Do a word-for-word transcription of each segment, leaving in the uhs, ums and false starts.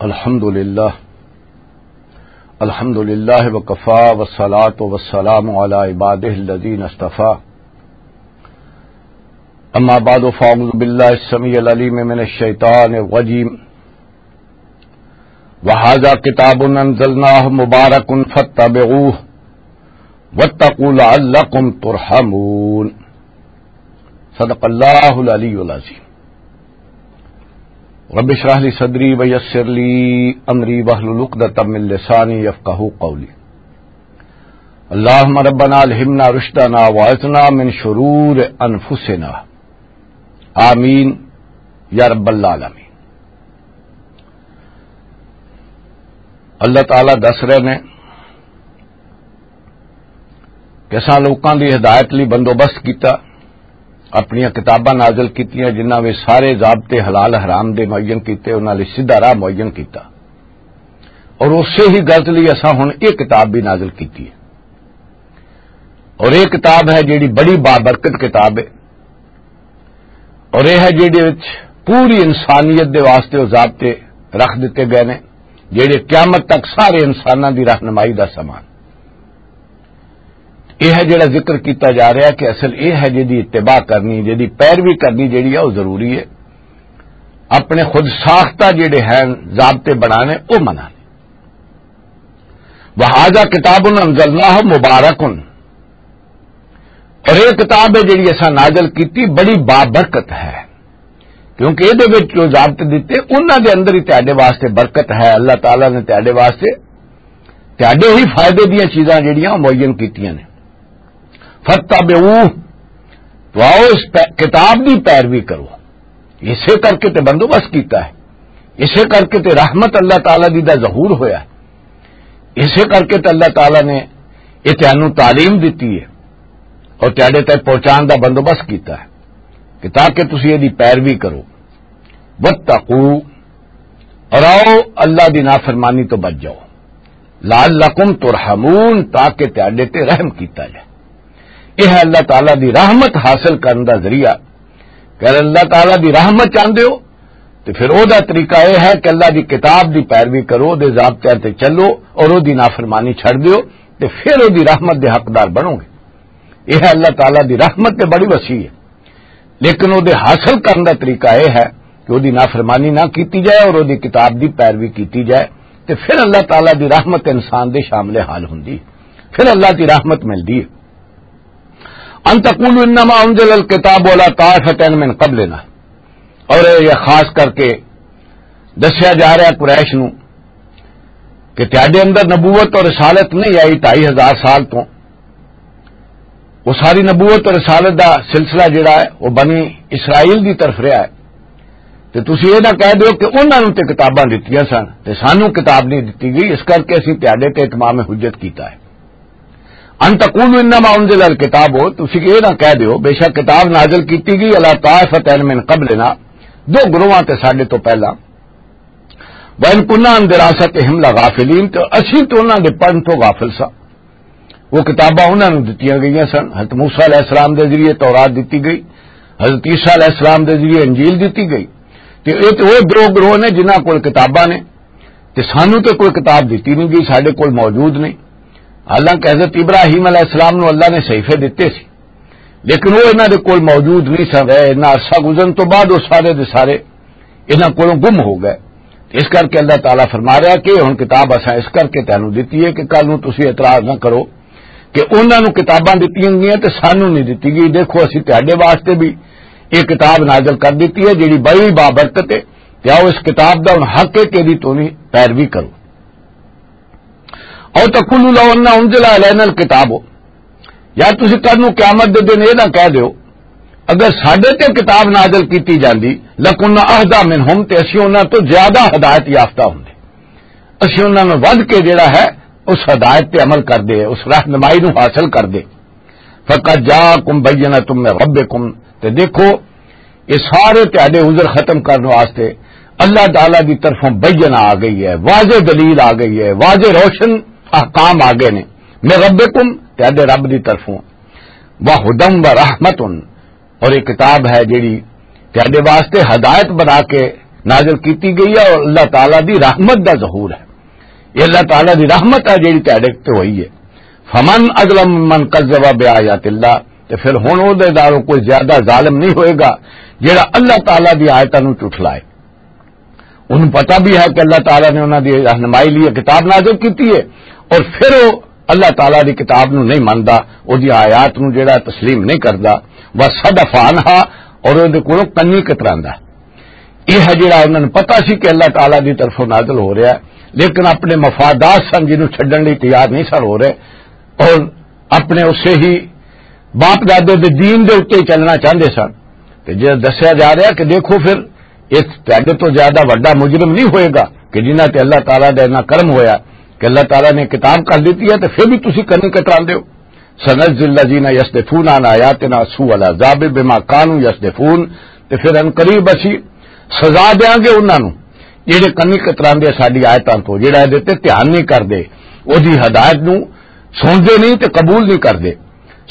الحمد لله. الحمد لله وكفى والصلاة والسلام على عباده الذين اصطفى. أما بعد، فأعوذ بالله السميع العليم من الشيطان الرجيم. وهذا كتاب أنزلناه مبارك فاتبعوه واتقوا لعلكم ترحمون. صدق الله العلي العظيم. رب اشرح لي صدري ويسر لي أمري واحلل عقدة من لساني يفقهوا قولي. اللهم ربنا ألهمنا رشدنا وأعذنا من شرور أنفسنا. آمین یا رب العالمین۔ اللہ تعالیٰ دس رہے نے کہ اساں لوکاں دی ہدایت لئی بندوبست کیتا، اپنیاں کتاباں نازل کیتیاں، جنہاں وچ سارے ضابطے حلال حرام دے معین کیتے، انہاں لئی سیدھا راہ معین کیتا۔ اور اسے ہی غرض لئی اساں ہن یہ کتاب بھی نازل کیتی ہے۔ اور یہ کتاب ہے جیڑی بڑی بابرکت کتاب ہے، اور یہ ہے جیڑے وچ پوری انسانیت دے واسطے وہ ضابطے رکھ دیتے گئے نے، جیڑے قیامت تک سارے انساناں دی رہنمائی دا سامان۔ یہ ہے جڑا ذکر کیتا جا رہا ہے کہ اصل یہ ہے جدی اتباع کرنی، جدی پیروی کرنی جڑی ہے وہ ضروری ہے۔ اپنے خود ساختہ جڑے ہیں ضابطے بنانے، وہ منانے۔ وَهَذَا كِتَابٌ أَنزَلْنَاهُ مُبَارَكٌ، اور یہ کتاب ہے جڑی اساں نازل کیتی، بڑی بابرکت ہے، کیونکہ یہ وچ جو ضابطے دیتے انہاں دے اندر ہی تہاڈے واسطے برکت ہے۔ اللہ تعالیٰ نے تہاڈے واسطے تہاڈے ہی فائدے دیاں چیزاں جڑیاں معین کیتیاں نے۔ فَاتَّبِعُوهُ، تو آؤ اس پہ-، کتاب دی پیروی کرو۔ اسے کر کے تے بندوبست کیتا ہے، اسے کر کے تے رحمت اللہ تعالیٰ دی دا ظہور ہویا ہے، اسے کر کے تے اللہ تعالیٰ نے یہ تینوں تعلیم دیتی ہے اور تیرے تک پہنچان دا بندوبست کیتا ہے کہ تاکہ تسی یہ دی پیروی کرو۔ وَاتَّقُوا، اور آؤ اللہ دی نافرمانی تو بچ جاؤ۔ لَعَلَّكُمْ تُرْحَمُونَ، تاکہ تیرے تے رحم کیتا جائے۔ یہ ہے اللہ تعالیٰ دی رحمت حاصل کرن دا ذریعہ۔ اگر اللہ تعالیٰ دی رحمت چاہندے ہو تو پھر او دا طریقہ یہ ہے کہ اللہ دی کتاب دی پیروی کرو، او دے ضابطیاں تے چلو اور او دی نافرمانی چھڑ دیو، تے پھر او دی رحمت دے حقدار بنو گے۔ یہ ہے اللہ تعالیٰ دی رحمت تے بڑی وسیع ہے، لیکن او دے حاصل کرن دا طریقہ یہ ہے کہ او دی نافرمانی نہ کیتی جائے اور او دی کتاب دی پیروی کیتی جائے، تے پھر اللہ تعالیٰ دی رحمت انسان دے شامل حال ہوندی، پھر اللہ دی رحمت ملدی ہے۔ ان تقولوا انما انزل الكتاب على طائفتين من قبلنا، اور یہ خاص کر کے دسیا جا رہا ہے قریش نو کہ تیاڈے اندر نبوت اور رسالت نہیں آئی ڈھائی ہزار سال تو۔ وہ ساری نبوت اور رسالت دا سلسلہ جڑا ہے، وہ بنی اسرائیل دی طرف رہا ہے۔ تے تسی یہ نہ کہہ دیو کہ انہاں نوں تے کتاباں دتیاں سن تے سانوں کتاب نہیں دتی گئی، اس کر کے اسی تیاڈے تے اتمام حجت کیتا ہے۔ ان تقولوا انما انزل الكتاب، تسی یہ نہ کہہ دیو بے شک کتاب نازل کیتی گئی علی طائفتین من قبلنا، دو گروہاں تے ساڈے تو پہلا، وَإِن كُنَّا عَن دِرَاسَتِهِمْ لَغَافِلِينَ، تے اسی تے انہاں دے پڑھن تو غافل ساں۔ وہ کتاباں انہاں نوں دتیاں گئیاں سن، حضرت موسیٰ علیہ السلام دے ذریعے تورات دتی گئی، حضرت عیسیٰ علیہ السلام دے ذریعے انجیل دتی گئی۔ تے اے تے وہ دو گروہ نے جنہاں کول کتاباں نے، تے سانوں تے کوئی کتاب دتی نہیں گئی، ساڈے کول موجود نہیں۔ حالانکہ حضرت ابراہیم علیہ السلام نوں اللہ نے صحیفے دتے سی، لیکن وہ انہاں دے کول موجود نہیں سن رہے۔ انہاں عرصہ گزرن تو بعد وہ سارے دے سارے انہاں کولوں گم ہو گئے۔ اس کر کے اللہ تعالیٰ فرما رہا کہ ہن کتاب اساں اس کر کے تینوں دتی ہے کہ کل نوں تسی اعتراض نہ کرو کہ انہاں نوں کتاباں دتیاں گئیاں تے سانوں نہیں دتی گئی۔ دیکھو، اسی تہاڈے واسطے بھی یہ کتاب نازل کر دتی ہے، جیڑی بڑی بابرکت ہے۔ تے آؤ، اس کتاب دا ہن حق ہے کہ ایدی تسی پیروی کرو۔ او تقولوا لو ان انزل علینا الکتاب، یا تسی کل نوں قیامت دے دن یہ نہ کہہ دیو، اگر ساڈے تے کتاب نازل کیتی جاندی، لکنا اہدی منہم، تے اسی انہاں تو زیادہ ہدایت یافتہ ہوندے۔ اسی انہاں نوں ودھ کے جڑا ہے، اس ہدایت تے عمل کردے، اس رہنمائی نوں حاصل کردے۔ فقد جاءکم بینۃ من ربکم، تے دیکھو، یہ سارے تہاڈے عذر ختم کرن واسطے اللہ تعالیٰ دی طرفوں بینہ آ گئی ہے، واضح دلیل آ گئی ہے، واضح روشن احکام آ گئے نے۔ من ربکم، تہاڈے رب دی طرفوں، وہدی ورحمۃ، اور یہ کتاب ہے جیڑی تہاڈے واسطے ہدایت بنا کے نازل کیتی گئی ہے اور اللہ تعالیٰ دی رحمت دا ظہور ہے۔ یہ اللہ تعالیٰ دی رحمت ہے جیڑی تہاڈے تے ہوئی ہے۔ فمن اظلم من کذب بآیات اللہ، تے پھر ہن او دے نالوں کوئی زیادہ ظالم نہیں ہوئے گا جیڑا اللہ تعالیٰ دی آیتاں نوں جھٹلائے۔ انہوں پتہ بھی ہے کہ اللہ تعالیٰ نے انہاں دی رہنمائی لیے کتاب نازل کیتی ہے، اور پھر وہ اللہ تعالیٰ دی کتاب نو نہیں مندا، او دی آیات نو جڑا تسلیم نہیں کردا، وصدف عنہا، اور او دے کولوں کنی کتراندا۔ یہ ہے جڑا انہاں نوں پتہ سی کہ اللہ تعالیٰ دی طرفوں نازل ہو رہا ہے، لیکن اپنے مفادات سن جنوں چھڈن لئی تیار نہیں سن ہو رہے، اور اپنے اسے ہی باپ دادے دے دین دے اُتے ہی چلنا چاہندے سن۔ تے جے دسیا جا رہا کہ دیکھو پھر، اس تہاڈے تو زیادہ وڈا مجرم نہیں ہوئے گا کہ جنہاں تے اللہ تعالیٰ دا اتنا کرم ہویا کہ اللہ تعالیٰ نے کتاب کر دیتی ہے، تے پھر بھی تسی کنی کتراندے ہو۔ سنجزی الذین یصدفون عن آیاتنا سوء العذاب بما کانوا یصدفون، تے پھر ان قریب اسی سزا دیاں گے انہاں نوں جڑے کنی کتراندے ساڈی آیتاں تو، جڑا اے تے دھیان نہیں کردے، او دی ہدایت نوں سنتے نہیں تے قبول نہیں کردے۔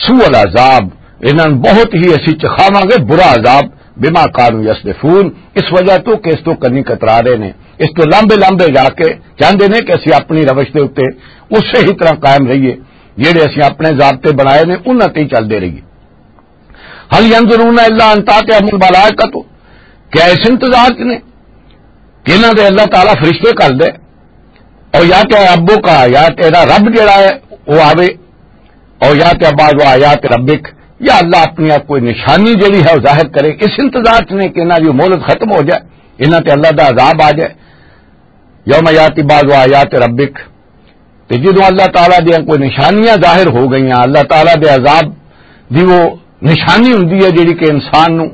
سوء العذاب، انہاں نوں بہت ہی اسی چکھاواں گے برا عذاب، بما کانوا یصدفون، اس وجہ تو کہ اس تو کنی کترا رہے نے، اس تو لمبے لمبے جا کے چاہندے نے کہ اسی اپنی روش دے اُتے اسی ہی طرح قائم رہیے، جڑے اسی اپنے ضابطے بنائے نے، انہاں تے ہی چلدے رہیے۔ هل ينظرون إلا أن تأتيهم الملائكة، کیا اس انتظار چ نے کہ انہاں دے اللہ تعالیٰ فرشتے کر دے، اور یا کہ ربک، یا تیرا رب جڑا ہے وہ آوے، اور یا تے بعض آیات ربک، یا اللہ اپنی کوئی نشانی جڑی ہے وہ ظاہر کرے، اس انتظار چ نے کہ انہاں دی مہلت ختم ہو جائے، انہاں تے اللہ دا عذاب آ جائے۔ یوم یاتی بعض آیات ربک، تے جدوں اللہ تعالیٰ دیاں کوئی نشانیاں ظاہر ہو گئیاں، اللہ تعالیٰ دے عذاب دی وہ نشانی ہوندی ہے جڑی کہ انسان نوں،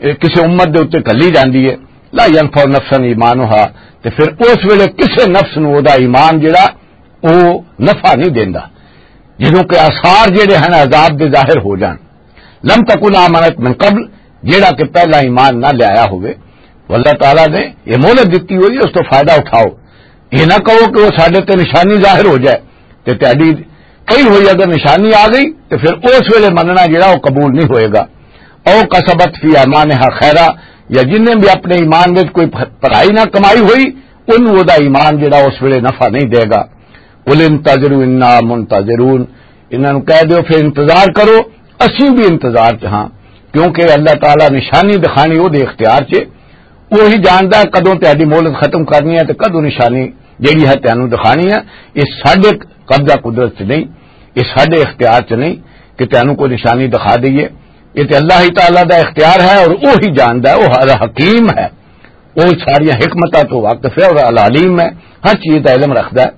اے، کسے امت دے اُتے گھلی جاندی ہے، لا ينفع نفسا ایمانها، تے پھر اس ویلے کسے نفس نوں او دا ایمان جڑا او نفع نہیں دیندا، جدوں کہ آثار جڑے ہیں عذاب دے ظاہر ہو جان۔ لم تکن آمنت من قبل، جیڑا کہ پہلا ایمان نہ لے آیا ہوئے، تو اللہ تعالیٰ نے یہ مہلت دتی ہوئی ہے، اس تو فائدہ اٹھاؤ۔ یہ نہ کہو کہ وہ ساڈے تے نشانی ظاہر ہو جائے، تے تہاڈی کئی ہوئی اگر نشانی آ گئی، تے پھر اس ویلے مننا جیڑا وہ قبول نہیں ہوئے گا۔ او کسبت فی ایمانہا خیرا، یا جن نے بھی اپنے ایمان وچ کوئی بھلائی نہ کمائی ہوئی، ان وہ دا ایمان جیڑا اس ویلے نفع نہیں دے گا۔ قل انتظروا انا منتظرون، انہاں نوں کہہ دیو پھر انتظار کرو، اسی بھی انتظار چ ہاں، کیونکہ اللہ تعالیٰ نشانی دکھانی او دے اختیار چ، وہی جاندا ہے کدوں تہاڈی مہلت ختم کرنی ہے تے کدوں نشانی جیڑی ہے تینوں دکھانی ہے۔ یہ ساڈے قبضہ قدرت چ نہیں، یہ ساڈے اختیار چ نہیں کہ تینوں کوئی نشانی دکھا دئیے۔ یہ تے اللہ ہی تعالیٰ دا اختیار ہے اور وہی جاندا ہے، وہ الحکیم ہے، وہ ساری حکمتاں تو واقف ہے اور العلیم ہے، ہر چیز دا علم رکھدا ہے۔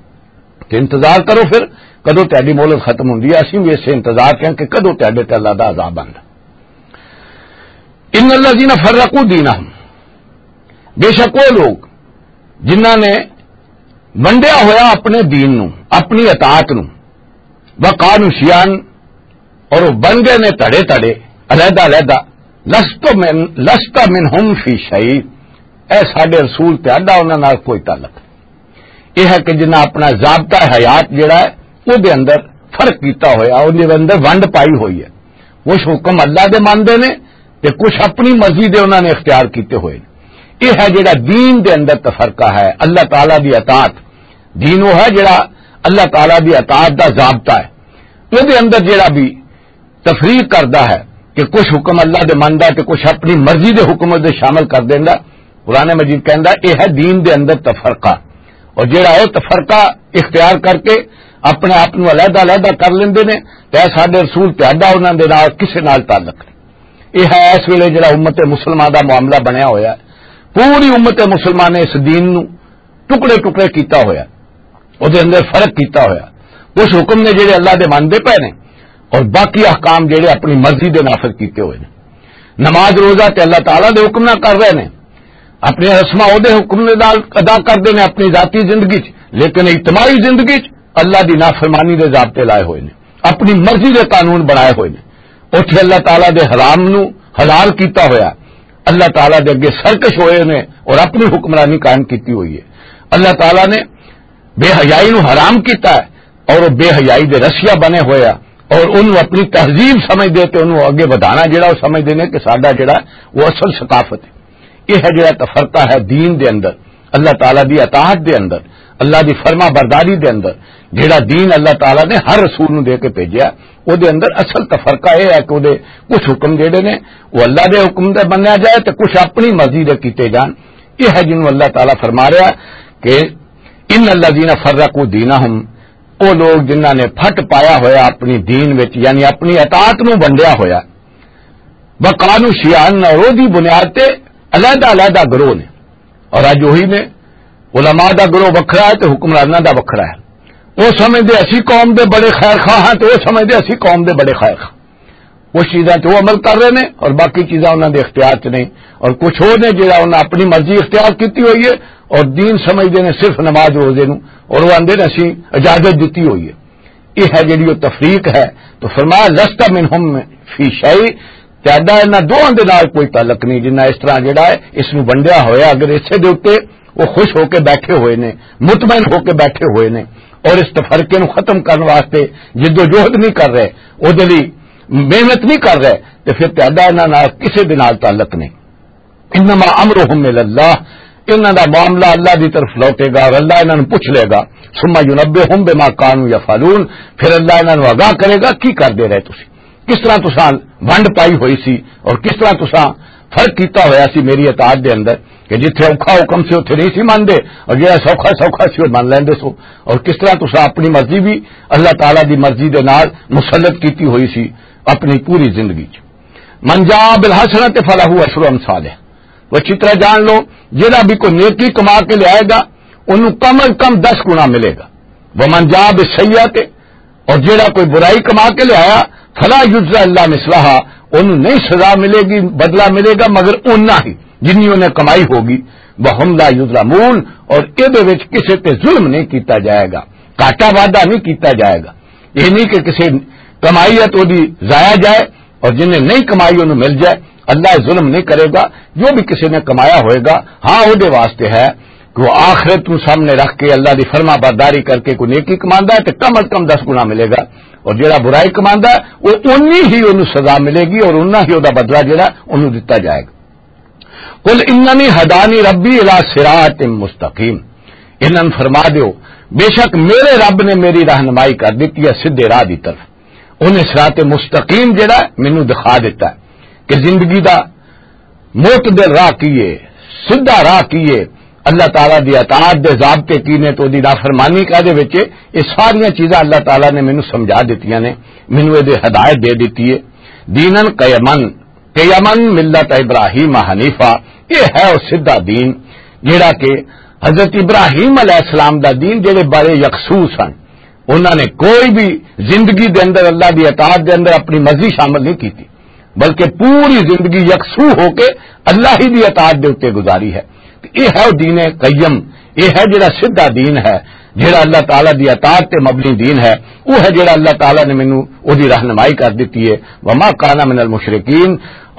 تے انتظار کرو پھر، کدوں تہاڈی مہلت ختم ہوندی ہے، اسی بھی اسے انتظار کہیں کہ کدوں تہاڈے تے اللہ دا عذاب آندا۔ ان الذین فرقوا دینہم، بے شک وہ لوگ جنہاں نے ونڈیا ہویا اپنے دین نو، اپنی اطاعت نو، وکانوا شیعا، اور وہ بن گئے نے تڑے تڑے، علیحدہ علیحدہ، لست من، لست منہم فی شیء، اے ساڈے رسول تے اڈا انہاں نال کوئی تعلق نہیں۔ یہ ہے کہ جنہاں اپنا ضابطہ حیات جڑا ہے، وہ دے اندر فرق کیتا ہویا، وہ دے اندر ونڈ پائی ہوئی ہے۔ کچھ حکم اللہ دے مانتے نے تے کچھ اپنی مرضی دے انہاں نے اختیار کیتے ہوئے نے۔ یہ ہے جڑا دین دے اندر تفرقہ ہے، اللہ تعالیٰ دی اطاعت۔ دین وہ ہے جڑا اللہ تعالیٰ دی اطاعت دا ضابطہ ہے۔ وہ دے اندر جڑا بھی تفریق کردا ہے کہ کچھ حکم اللہ دے مندا ہے تے کچھ اپنی مرضی دے حکم دے شامل کر دیندا۔ قرآن مجید کہندا، اے ہے دین دے اندر تفرقہ۔ اور جڑا اے تفرقہ اختیار کر کے اپنے آپ نوں علیحدہ علیحدہ کر لیندے نے، تے اے ساڈے رسول تے اڈا انہاں دے نال کسے نال تعلق نہیں۔ اے ہے اس ویلے جڑا امت مسلمہ دا معاملہ بنیا ہویا ہے۔ پوری امت مسلمہ نے اس دین نوں ٹکڑے ٹکڑے کیتا ہویا، او دے اندر فرق کیتا ہویا۔ کچھ حکم نے جڑے اللہ دے منندے پے نے، اور باقی احکام جڑے اپنی مرضی دے نافذ کیتے ہوئے نے۔ نماز روزہ تے اللہ تعالیٰ دے حکم نہ کر رہے نے، اپنے رسماں او دے حکم دے نال ادا کردے نے اپنی ذاتی زندگی چ، لیکن اجتماعی زندگی چ اللہ دی نافرمانی دے ضابطے لائے ہوئے نے، اپنی مرضی دے قانون بنائے ہوئے نے۔ اتھے اللہ تعالیٰ دے حرام نو حلال کیتا ہویا، اللہ تعالیٰ دے اگے سرکش ہوئے نے اور اپنی حکمرانی قائم کیتی ہوئی ہے۔ اللہ تعالیٰ نے بے حیائی نو حرام کیتا ہے اور وہ بے حیائی دے رسیا بنے ہوئے آ اور انہوں اپنی تہذیب سمجھ دے تے انہوں اگے ودھانا جڑا وہ سمجھ دے نے کہ ساڈا جڑا وہ اصل ثقافت ہے۔ یہ ہے جڑا تفرقہ ہے دین دے اندر، اللہ تعالیٰ دی اطاعت دے اندر، اللہ دی فرما برداری دے اندر۔ جڑا دین اللہ تعالیٰ نے ہر رسول نو دے کے بھیجیا، او دے اندر اصل تفرقہ یہ ہے کہ او دے کچھ حکم جڑے نے، وہ اللہ دے حکم دے منیا جائے تے کچھ اپنی مرضی دے کیتے جان۔ یہ ہے جنوں اللہ تعالیٰ فرما رہا کہ ان الذین فرقوا دینہم، او لوگ جنہاں نے پھٹ پایا ہویا اپنی دین وچ، یعنی اپنی اطاعت نو ونڈیا ہویا، وکانوا شیعاً، اور او دی بنیاد تے علیحدہ علیحدہ گروہ نے۔ اور اج وہی نے، علماء دا گروہ وکھرا ہے تے حکمراناں دا وکھرا ہے۔ او سمجھدے اسی قوم دے بڑے خیر خواہ ہاں تے او سمجھدے اسی قوم دے بڑے خیر خواہ۔ اس چیزاں تے او عمل کر رہے نے اور باقی چیزاں انہاں دے اختیار چ نہیں۔ اور کچھ ہور نے جڑا انہاں اپنی مرضی اختیار کیتی ہوئی ہے اور دین سمجھدے نے صرف نماز روزے نوں، اور وہ آندے نے اسی اجازت دتی ہوئی ہے۔ یہ ہے جڑی وہ تفریق ہے۔ تو فرمایا، "لست منہم فی شیء"، تہاڈا انہاں دوواں دے نال کوئی تعلق نہیں۔ جنہاں اس طرح جڑا ہے اس نوں ونڈیا ہویا، اگر اسے دے اُتے وہ خوش ہو کے بیٹھے ہوئے نے، مطمئن ہو کے بیٹھے ہوئے نے، اور اس تفرقے نوں ختم کرن واسطے جد و جہد نہیں کر رہے، او دے لئی محنت نہیں کر رہے، تے پھر تہاڈا انہاں نال کسے دے نال تعلق نہیں۔ انما امرهم الی اللہ، انہاں دا معاملہ اللہ دی طرف لوٹے گا اور اللہ انہاں نوں پوچھ لے گا۔ ثم ینبئهم بما کانوا یفعلون، پھر اللہ انہاں نوں آگاہ کرے گا کی کردے رہے تسی، کس طرح تساں ونڈ پائی ہوئی سی اور کس طرح تساں فرق کیتا ہویا سی میری اطاعت دے اندر، کہ جتھے اوکھا حکم سی اتھے نہیں سی مندے، اور جڑا سوکھا سوکھا سی وہ من لیندے سو، اور کس طرح تساں اپنی مرضی بھی اللہ تعالیٰ دی مرضی دے نال مسلط کیتی ہوئی سی اپنی پوری زندگی چ۔ من جاء بالحسنۃ فلہ عشر امثالہ۔ وہ اچھی طرح جان لو، جڑا بھی کوئی نیکی کما کے لے آئے گا، انہوں کم از کم دس گنا ملے گا۔ ومن جاء بالسیئۃ، اور جڑا کوئی برائی کما کے لے آیا، فلا یجزی الا مثلہا، انہوں نہیں سزا ملے گی، بدلہ ملے گا مگر اونا ہی جنی انہیں کمائی ہوگی۔ وہم لا یظلمون، اور اے دے وچ کسے تے ظلم نہیں کیتا جائے گا، گھاٹا وعدہ نہیں کیتا جائے گا۔ یہ نہیں کہ کسے کمائی ہے تو دی ضائع جائے، اور جنہیں نہیں کمائی انہوں مل جائے۔ اللہ ظلم نہیں کرے گا۔ جو بھی کسی نے کمایا ہوئے گا، ہاں، وہ دے واسطے ہے کہ وہ آخرت نو سامنے رکھ کے اللہ دی فرما برداری کر کے کوئی نیکی کماندا ہے تو کم از کم دس گنا ملے گا، اور جڑا برائی کماندا ہے وہ اونی ہی انہوں سزا ملے گی اور اونہ ہی وہ دا بدلہ جڑا انہوں دتا جائے گا۔ قل اننی ہدانی ربی الی صراط مستقیم، انہاں نوں فرما دیو، بے شک میرے رب نے میری رہنمائی کر دتی ہے سیدھے راہ دی طرف۔ انہیں صراط مستقیم جڑا مینوں دکھا دیتا ہے کہ زندگی دا معتدل راہ کی ہے، سیدھا راہ کی ہے، اللہ تعالیٰ دی اطاعت دے ضابطے کی نے تو دی نافرمانی کا دے وچ، یہ ساریاں چیزاں اللہ تعالیٰ نے مینوں سمجھا دتیاں نے، مینوں یہ دے ہدایت دے دتی ہے۔ دینن قیمن، قیمن ملت ابراہیم حنیفہ، یہ ہے وہ سیدھا دین جڑا کہ حضرت ابراہیم علیہ السلام دا دین، جڑے بڑے یکسو سن، انہاں نے کوئی بھی زندگی دے اندر اللہ دی اطاعت دے اندر اپنی مرضی شامل نہیں کیتی، بلکہ پوری زندگی یکسو ہو کے اللہ ہی دی اطاعت دے اُتے گزاری ہے۔ تے یہ ہے وہ دین قیم، یہ ہے جڑا سیدھا دین ہے، جڑا اللہ تعالیٰ دی اطاعت تے مبنی دین ہے۔ وہ ہے جڑا اللہ تعالیٰ نے مینوں وہ دی رہنمائی کر دتی ہے۔ وما کان من المشرکین،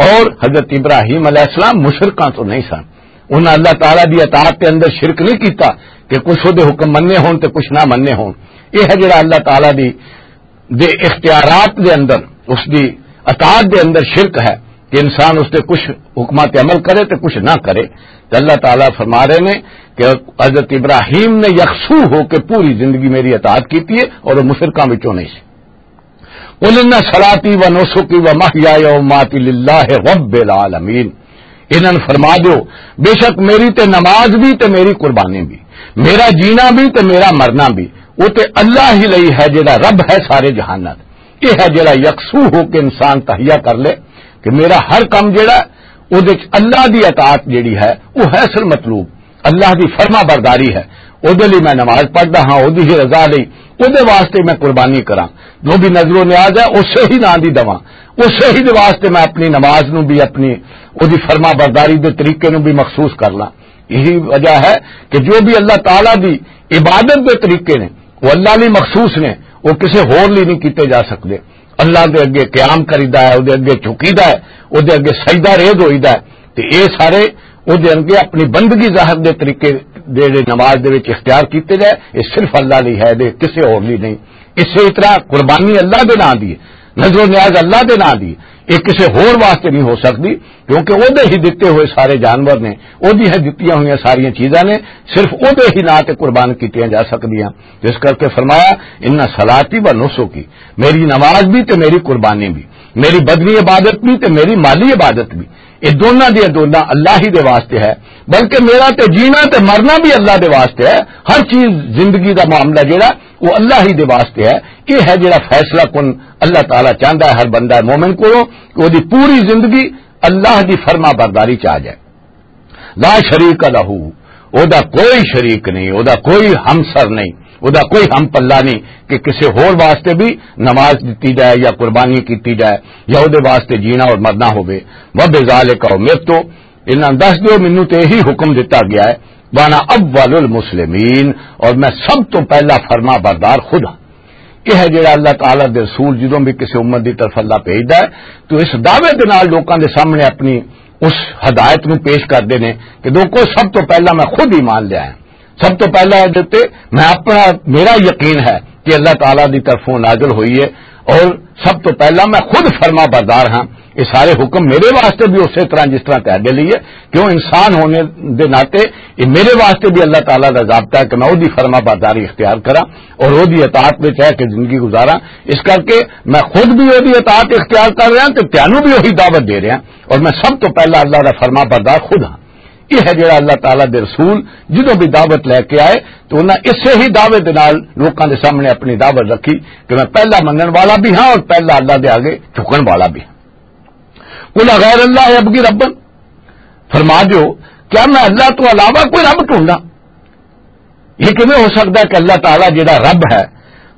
اور حضرت ابراہیم علیہ السلام مشرکاں تو نہیں سن۔ انہاں اللہ تعالیٰ دی اطاعت دے اندر شرک نہیں کیتا کہ کچھ وہ دے حکم مننے ہون تے کچھ نہ مننے ہون۔ یہ ہے جڑا اللہ تعالیٰ دی دے اختیارات دے اندر، اس دی اطاعت دے اندر شرک ہے کہ انسان اس دے کچھ حکمات عمل کرے تے کچھ نہ کرے۔ تے اللہ تعالیٰ فرما رہے نے کہ حضرت ابراہیم نے یکسو ہو کے پوری زندگی میری اطاعت کیتی ہے اور وہ مشرکاں وچوں نہیں سی۔ قل ان صلاتی و نسکی و محیای و ماتی للہ رب العالمین۔ انہاں نوں فرما دیو، بے شک میری تے نماز بھی تے میری قربانی بھی، میرا جینا بھی تے میرا مرنا بھی، وہ تے اللہ ہی لئی ہے، جڑا رب ہے سارے جہاناں دا۔ یہ ہے جڑا یکسو ہو کے انسان تہیا کر لے کہ میرا ہر کم جڑا، وہ دے وچ اللہ دی اطاعت جڑی ہے، وہ ہے اصل مطلوب۔ اللہ دی فرما برداری ہے، او دے لئی میں نماز پڑھدا ہاں، او دی ہی رضا لئی، او دے واسطے میں قربانی کراں۔ جو بھی نظر و نیاز ہے، اسے ہی ناں دی دواں، اسے ہی دے واسطے میں اپنی نماز نو بھی، اپنی او دی فرما برداری دے طریقے نو بھی مخصوص کر لاں۔ یہی وجہ ہے کہ جو بھی اللہ تعالیٰ دی عبادت دے طریقے نے، وہ اللہ لئی مخصوص نے، وہ کسے ہور لئی نہیں کیتے جا سکدے۔ اللہ دے اگے قیام کریدا ہے، او دے اگے جھکیدا ہے، او دے اگے سجدہ ریز ہوئیدا ہے۔ تے اے سارے او دے اگے اپنی بندگی ظاہر دے طریقے جڑے نماز دے وچ اختیار کیتے جائے، اے صرف اللہ لئی ہے، دے کسے ہور لئی نہیں۔ اسے طرح قربانی اللہ دے ناں دی ہے، نذر و نیاز اللہ دے ناں دی ہے۔ یہ کسی ہور واسطے نہیں ہو سکتی، کیونکہ وہ ہی دتے ہوئے سارے جانور نے، وہ ہی دتیاں ہوئیاں ساریاں چیزاں نے، صرف وہ ہی ناں تے قربان کیتیاں جا سکدیاں۔ جس کر کے فرمایا، "ان صلاتی و نسکی"، میری نماز بھی تے میری قربانی بھی، میری بدنی عبادت بھی تے میری مالی عبادت بھی، یہ دونوں دی دونوں اللہ ہی دے واسطے ہے۔ بلکہ میرا تے جینا تے مرنا بھی اللہ دے واسطے ہے۔ ہر چیز، زندگی دا معاملہ جڑا، وہ اللہ ہی دے واسطے ہے۔ یہ ہے جڑا فیصلہ کن اللہ تعالیٰ چاہندا ہے ہر بندہ مومن کو، کہ وہ دی پوری زندگی اللہ دی فرما برداری چ آ جائے۔ لا شریک لہ، او دا کوئی شریک نہیں، او دا کوئی ہمسر نہیں، او دا کوئی ہم پلہ نہیں کہ کسی ہور واسطے بھی نماز دتی جائے یا قربانی کیتی جائے یا او دے واسطے جینا اور مرنا ہوے۔ وبذالک امرت، انہاں دس دیو، مینوں تے یہی حکم دتا گیا ہے، وانا اول المسلمین، اور میں سب تو پہلا فرما بردار خود ہاں۔ یہ ہے جڑا اللہ تعالیٰ دے رسول جدوں بھی کسی امت دی طرف اللہ بھیجدا ہے، تو اس دعوے دے نال لوکاں دے سامنے اپنی اس ہدایت نو پیش کردے نے کہ لوکو، سب تو پہلا میں خود ایمان لیا ہے، سب تو پہلا یہ دے تے میں اپنا، میرا یقین ہے کہ اللہ تعالیٰ دی طرفوں نازل ہوئی ہے، اور سب تو پہلا میں خود فرما بردار ہاں۔ یہ سارے حکم میرے واسطے بھی اسی طرح جس طرح تہاڈے لئی ہے، کیوں انسان ہونے دے ناطے یہ میرے واسطے بھی اللہ تعالیٰ دا ضابطہ ہے کہ میں وہدی فرما برداری اختیار کراں اور وہدی اطاعت وچ رہ کے زندگی گزاراں۔ اس کر کے میں خود بھی وہدی اطاعت اختیار کر رہا تے تینوں بھی وہی دعوت دے رہا، اور میں سب تو پہلا اللہ دا فرما بردار خود ہاں۔ یہ ہے جڑا اللہ تعالیٰ دے رسول جدوں بھی دعوت لے کے آئے تو انہاں اسے ہی دعوے دے نال لوکاں دے سامنے اپنی دعوت رکھی کہ میں پہلا منن والا بھی ہاں اور پہلا اللہ دے آگے جھکن والا بھی ہاں۔ قل غیر اللہ ابغی ربا، فرما دیو، کیا میں اللہ تو علاوہ کوئی رب ڈھونڈا؟ یہ کیویں ہو سکتا ہے کہ اللہ تعالیٰ جڑا رب ہے،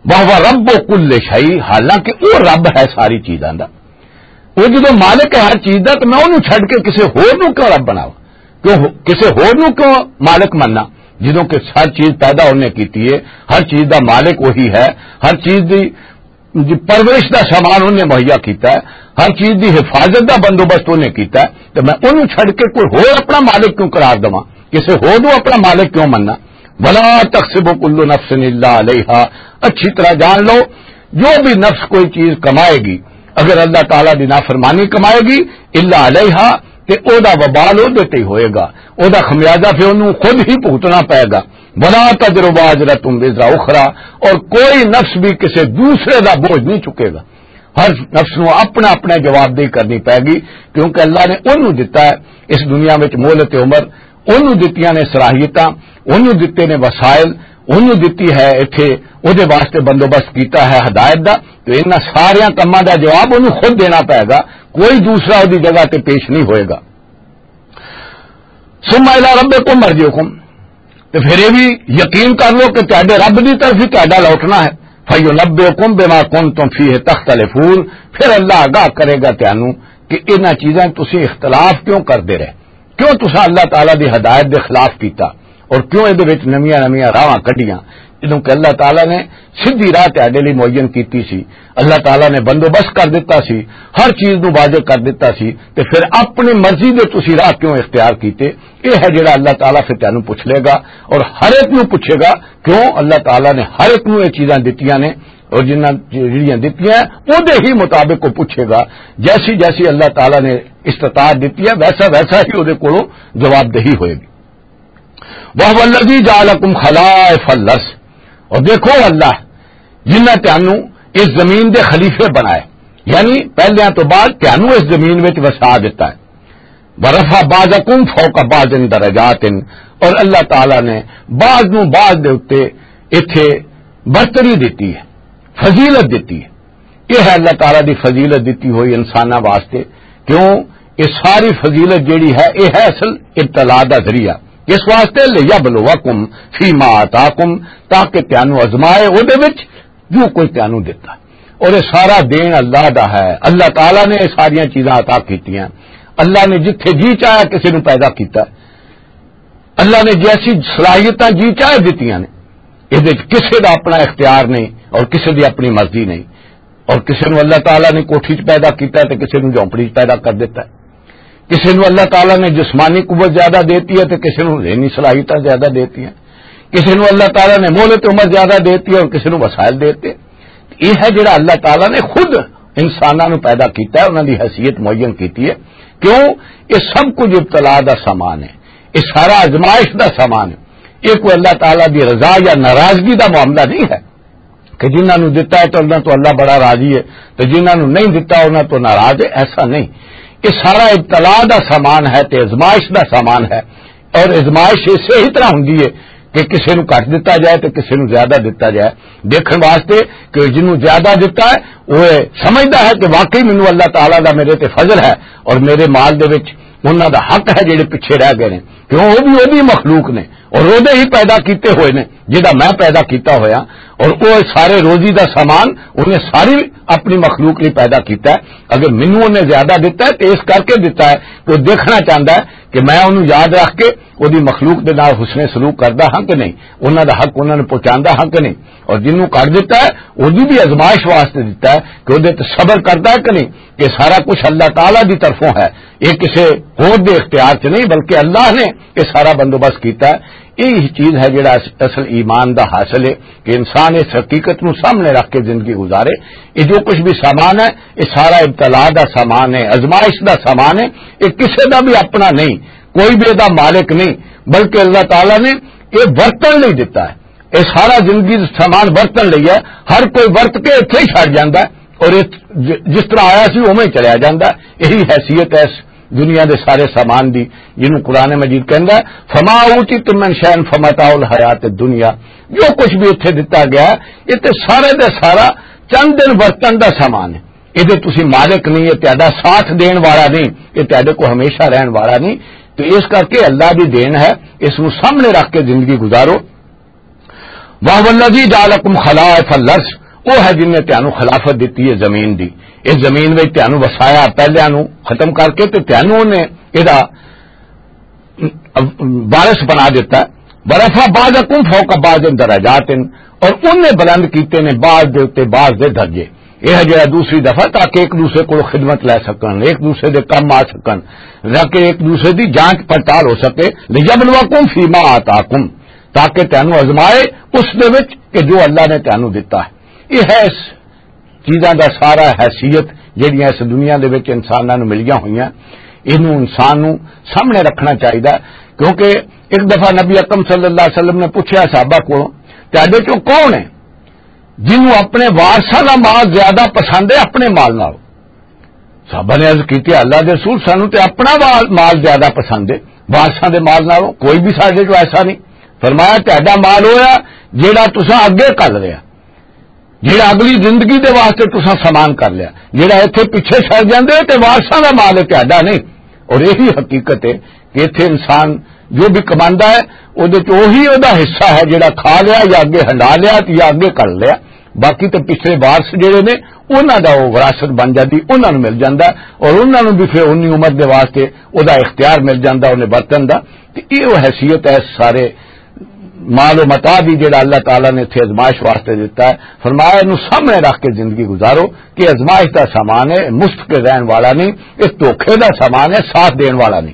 وہو رب کل شیء، حالانکہ وہ رب ہے ساری چیزاں دا۔ وہ جدوں مالک ہے ہر چیز دا، تو میں انہوں چھڈ کے کسی ہور نوں کیوں رب بناواں؟ کیوں ہو-، کسی ہور نوں کیوں مالک مننا؟ جدوں کہ ہر چیز پیدا انہیں کیتی ہے، ہر چیز دا مالک وہی ہے، ہر چیز دی، دی پرورش دا سامان انہیں مہیا کیتا ہے، ہر چیز دی حفاظت دا بندوبست انہیں کیتا ہے، تو میں انہوں چھڈ کے کوئی ہور اپنا مالک کیوں قرار دواں؟ کسی ہور نوں اپنا مالک کیوں مننا؟ ولا تکسب کل نفس الا علیہا، اچھی طرح جان لو، جو بھی نفس کوئی چیز کمائے گی، اگر اللہ تعالیٰ دی نافرمانی کمائے گی، الا علیہا، تے او دا وبال او دے تے ہی ہوئے گا، او دا خمیازہ پھر انہوں خود ہی بھگتنا پائے گا۔ ولا تزر وازرۃ وزر اخری، اور کوئی نفس بھی کسی دوسرے دا بوجھ نہیں چکے گا۔ ہر نفس نو اپنا اپنا جواب دہی کرنی پائے گی، کیونکہ اللہ نے انہوں دتا ہے اس دنیا وچ مہلت عمر، انہوں دتیاں نے صلاحیتاں، انہوں دتے نے وسائل، انہوں دتی ہے ایتھے، او دے واسطے بندوبست کیتا ہے ہدایت دا، تو انہاں ساریاں کماں دا جواب انہوں خود دینا پائے گا، کوئی دوسرا او دی جگہ تے پیش نہیں ہوئے گا۔ ثم الی ربکم مرجعکم، تے پھر یہ بھی یقین کر لو کہ تہاڈے رب دی طرف ہی تہاڈا لوٹنا ہے۔ فینبئکم بما کنتم فیہ تختلفون، پھر اللہ آگاہ کرے گا تانوں کہ انہاں چیزاں تسی اختلاف کیوں کردے رہے، کیوں تساں اللہ تعالیٰ دی ہدایت دے خلاف کیتا اور کیوں اے دے وچ نویاں نویاں راہاں کڈیاں، جدوں کہ اللہ تعالیٰ نے سیدھی راہ تہاڈے لئی معین کیتی سی، اللہ تعالیٰ نے بندوبست کر دتا سی، ہر چیز نو واضح کر دتا سی، تے پھر اپنی مرضی دے تسی راہ کیوں اختیار کیتے؟ یہ ہے جڑا اللہ تعالیٰ پھر تینوں پوچھ لے گا، اور ہر ایک نو پوچھے گا۔ کیوں؟ اللہ تعالیٰ نے ہر ایک نو یہ چیزاں دتیاں نے، اور جنہاں جڑیاں دتیاں، او دے ہی مطابق وہ پوچھے گا۔ جیسی جیسی اللہ تعالیٰ نے استطاعت دتی ہے، ویسا ویسا ہی او دے کولوں جواب دہی ہوئے گی۔ وَهُوَ الَّذِي جَعَلَكُمْ خَلَائِفَ الْأَرْضِ، اور دیکھو اللہ جنہاں تانوں اس زمین دے خلیفے بنائے، یعنی پہلیاں تو بعد تانوں اس زمین وچ وسا دتا ہے۔ وَرَفَعَ بَعْضَكُمْ فَوْقَ بَعْضٍ دَرَجَاتٍ، اور اللہ تعالیٰ نے بعض نوں بعض دے اُتے ایتھے برتری دتی ہے، فضیلت دتی ہے۔ یہ ہے اللہ تعالیٰ دی فضیلت دتی ہوئی انساناں واسطے۔ کیوں؟ یہ ساری فضیلت جیڑی ہے، یہ ہے اصل ابتلا دا ذریعہ۔ اس واسطے، لِيَبْلُوَكُمْ فِيمَا آتَاكُمْ، تاکہ تانوں آزمائے او دے وچ جو کوئی تانوں دتا۔ اور یہ سارا دین اللہ دا ہے، اللہ تعالیٰ نے یہ ساریاں چیزاں عطا کیتیاں۔ اللہ نے جتھے جی چاہیا کسی نوں پیدا کیتا، اللہ نے جیسی صلاحیتاں جی چاہے دتیاں نے۔ اس وچ کسی دا اپنا اختیار نہیں اور کسی دی اپنی مرضی نہیں۔ اور کسی نوں اللہ تعالیٰ نے کوٹھی چ پیدا کیتا ہے تے کسی نوں جھونپڑی چ پیدا کر دیتا ہے۔ کسی نوں اللہ تعالیٰ نے جسمانی قوت زیادہ دیتی ہے تے کسی نوں ذہنی صلاحیتاں زیادہ دیتی ہیں۔ کسی نوں اللہ تعالیٰ نے مہلت عمر زیادہ دیتی ہے اور کسی نوں وسائل دیتے ہیں۔ یہ ہے جڑا اللہ تعالیٰ نے خود انساناں نوں پیدا کیتا ہے، انہاں دی حیثیت معین کیتی ہے۔ کیوں؟ یہ سب کچھ ابتلا دا سامان ہے، یہ سارا آزمائش دا سامان ہے۔ یہ کوئی اللہ تعالیٰ دی رضا یا ناراضگی دا معاملہ نہیں ہے کہ جنہاں نوں دتا ہے تو انہاں تو اللہ بڑا راضی ہے، تو جنہاں نوں نہیں دتا انہاں تو ناراض ہے، ایسا نہیں۔ یہ سارا ابتلا دا سامان ہے تے آزمائش دا سامان ہے۔ اور آزمائش اسے ہی طرح ہوندی ہے کہ کسے نوں گھٹ دتا جائے تے کسے نوں زیادہ دتا جائے، دیکھن واسطے کہ جنوں زیادہ دتا ہے، وہ سمجھدا ہے کہ واقعی مینوں اللہ تعالیٰ دا میرے تے فضل ہے اور میرے مال دے وچ انہاں دا حق ہے جڑے پیچھے رہ گئے نے، کیوں؟ وہ بھی وہی مخلوق نے اور وہدے ہی پیدا کیتے ہوئے نے، جڑا میں پیدا کیتا ہویا۔ اور وہ سارے روزی دا سامان انہیں ساری اپنی مخلوق لئی پیدا کیتا ہے۔ اگر مینوں انہیں زیادہ دتا ہے تو اس کر کے دتا ہے کہ وہ دیکھنا چاہتا ہے کہ میں انہوں یاد رکھ کے وہ دی مخلوق دے نال حسن سلوک کردا ہاں کہ نہیں، انہاں دا حق انہاں نوں پہنچاندا ہاں کہ نہیں۔ اور جنوں کر دتا ہے، وہ دی بھی آزمائش واسطے دتا ہے کہ وہ دے تے صبر کردا ہے کہ نہیں۔ یہ سارا کچھ اللہ تعالیٰ دی طرفوں ہے، یہ کسے ہور دے اختیار چ نہیں، بلکہ اللہ نے یہ سارا بندوبست کیتا ہے۔ یہی چیز ہے جڑا اس-، اصل ایمان دا حاصل ہے کہ انسان اس حقیقت نوں سامنے رکھ کے زندگی گزارے۔ یہ جو کچھ بھی سامان ہے، یہ سارا ابتلا دا سامان ہے، آزمائش دا سامان ہے۔ یہ کسے دا بھی اپنا نہیں، کوئی بھی دا مالک نہیں، بلکہ اللہ تعالیٰ نے یہ ورتن لئی دتا ہے۔ یہ سارا زندگی دا سامان ورتن لئی ہے۔ ہر کوئی ورت کے اتھے ہی چھڈ جاندا ہے۔ اور یہ ج-، جس طرح آیا سی، اوویں ہی چلیا جاندا ہے۔ یہی حیثیت ہے اس دنیا دے سارے سامان دی، جنوں قرآن مجید کہندا ہے، "فما اوتیتم من شیء فمتاع الحیات الدنیا۔" جو کچھ بھی اتھے دتا گیا ہے، یہ تے سارے دا سارا چند دن ورتن دا سامان ہے۔ یہ تے تسی مالک نہیں، یہ تہاڈا ساتھ دین والا نہیں، یہ تہاڈے کو ہمیشہ رہن والا نہیں۔ تو اس کر کے اللہ دی دین ہے، اس نوں سامنے رکھ کے زندگی گزارو۔ وَهُوَ الَّذِي جَعَلَكُمْ خَلَائِفَ الْأَرْضِ، وہ ہے جن نے تانوں خلافت دتی ہے زمین دی۔ اس زمین وچ تانوں وسایا، پہلیاں نوں ختم کر کے تے تانوں نے ایدا وارث بنا دتا۔ وَرَفَعَ بَعْضَكُمْ فَوْقَ بَعْضٍ دَرَجَاتٍ، اور انہیں بلند کیتے نے بعض دے اُتے بعض دے درجے۔ یہ ہے جڑا دوسری دفعہ، تاکہ ایک دوسرے کو خدمت لے سکن، ایک دوسرے دے کم آ سکن، تاکہ ایک دوسرے دی جانچ پڑتال ہو سکے۔ لِيَبْلُوَكُمْ فِيمَا آتَاكُمْ، تاکہ تینوں آزمائے اس دے وچ کہ جو اللہ نے تینوں دتا ہے۔ یہ ہے اس چیزاں دا سارا حیثیت جڑیاں اس دنیا دے وچ انساناں نوں ملیاں ہوئیاں، اینوں انسان نوں سامنے رکھنا چاہیدا ہے۔ کیونکہ ایک دفعہ نبی اکرم صلی اللہ علیہ وسلم نے پوچھا صحابہ کولوں، "تہاڈے چوں کون ہے جنوں اپنے وارثاں دا مال زیادہ پسند ہے اپنے مال نالوں؟" صحابہ نے عرض کیتی، "اللہ دے رسول، سانوں تے اپنا وا-، مال زیادہ پسند ہے وارثاں دے مال نالوں، کوئی بھی ساڈے چوں ایسا نہیں۔" فرمایا، "تہاڈا مال ہویا جیڑا تساں اگے کر لیا، جیڑا اگلی زندگی دے واسطے تساں سامان کر لیا، جیڑا ایتھے پیچھے چھڑ جاندے تے وارثاں دا مال ہے، تہاڈا نہیں۔" اور یہی حقیقت ہے کہ ایتھے انسان جو بھی کماندا ہے، او دے چ وہی او دا حصہ ہے جیڑا کھا لیا یا اگے ہنڈا لیا یا اگے کر لیا۔ باقی تے پچھلے وارث جڑے نے، انہاں دا او وراثت بن جاندی، انہاں نوں مل جاندا ہے، اور انہاں نوں بھی پھر اونی عمر دے واسطے او دا اختیار مل جاندا، انہیں برتن دا۔ تے ایہو حیثیت ہے سارے مال و متاع دی، جڑا اللہ تعالیٰ نے اتھے ازمائش واسطے دتا ہے۔ فرمایا، "اینوں سامنے رکھ کے زندگی گزارو کہ ازمائش دا سامان ہے، مستقل رہن والا نہیں، اس دھوکے دا سامان ہے، ساتھ دین والا نہیں۔"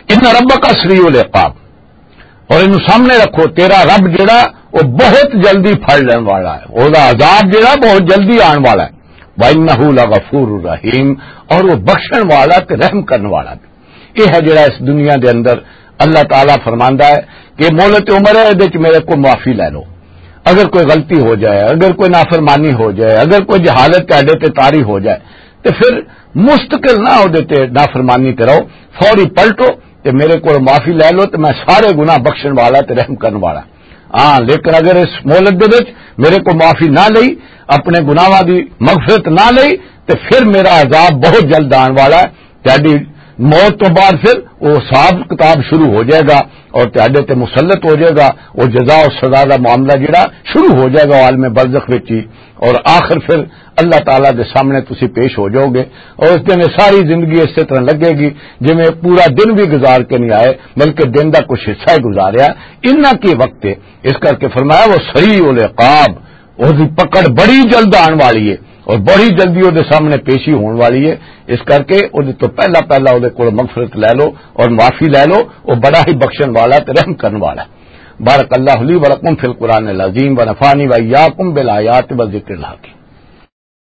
ان ربک سریع العقاب، اور اینوں سامنے رکھو، تیرا رب جڑا، وہ بہت جلدی پھڑ لین والا ہے، وہ دا عذاب جڑا بہت جلدی آن والا ہے۔ وَإِنَّهُ لَغَفُورٌ رَحِيمٌ، اور وہ بخشن والا تے رحم کرن والا بھی۔ یہ ہے جڑا اس دنیا دے اندر اللہ تعالیٰ فرماندا ہے کہ مہلت عمر ہے، ادے چ میرے کو معافی لے لو۔ اگر کوئی غلطی ہو جائے، اگر کوئی نافرمانی ہو جائے، اگر کوئی جہالت تہاڈے تے طاری ہو جائے، تے پھر مستقل نہ ہو دے تے نافرمانی تے رہو، فوری پلٹو تے میرے کول معافی لے لو تے میں سارے گناہ بخشن والا تے رحم کرن والا۔ ہاں، لیکن اگر اس مہلت دے وچ میرے کو معافی نہ لئی، اپنے گناہاں دی مغفرت نہ لئی، تے پھر میرا عذاب بہت جلد آن والا ہے۔ تہاڈی موت تو بعد پھر وہ حساب کتاب شروع ہو جائے گا اور تہاڈے تے مسلط ہو جائے گا، وہ جزا اور سزا دا معاملہ جڑا شروع ہو جائے گا عالم برزخ وچ ہی، اور آخر پھر اللہ تعالیٰ دے سامنے تسی پیش ہو جاؤ گے، اور اس دن یہ ساری زندگی اسی طرح لگے گی جویں پورا دن بھی گزار کے نہیں آئے، بلکہ دن دا کچھ حصہ ہی گزاریا۔ انہاں کی وقت ہے، اس کر کے فرمایا، وہ سریع العقاب، اس دی پکڑ بڑی جلد آن والی ہے اور بڑی جلدی وہ دے سامنے پیشی ہون والی ہے۔ اس کر کے وہ دے تو پہلا پہلا وہ دے کول مغفرت لے لو اور معافی لے لو، وہ بڑا ہی بخشن والا تے رحم کرن والا ہے۔ بارک اللہ لی ولکم فی القرآن العظیم ونفعنی وإیاکم بالآیات والذکر الحکیم۔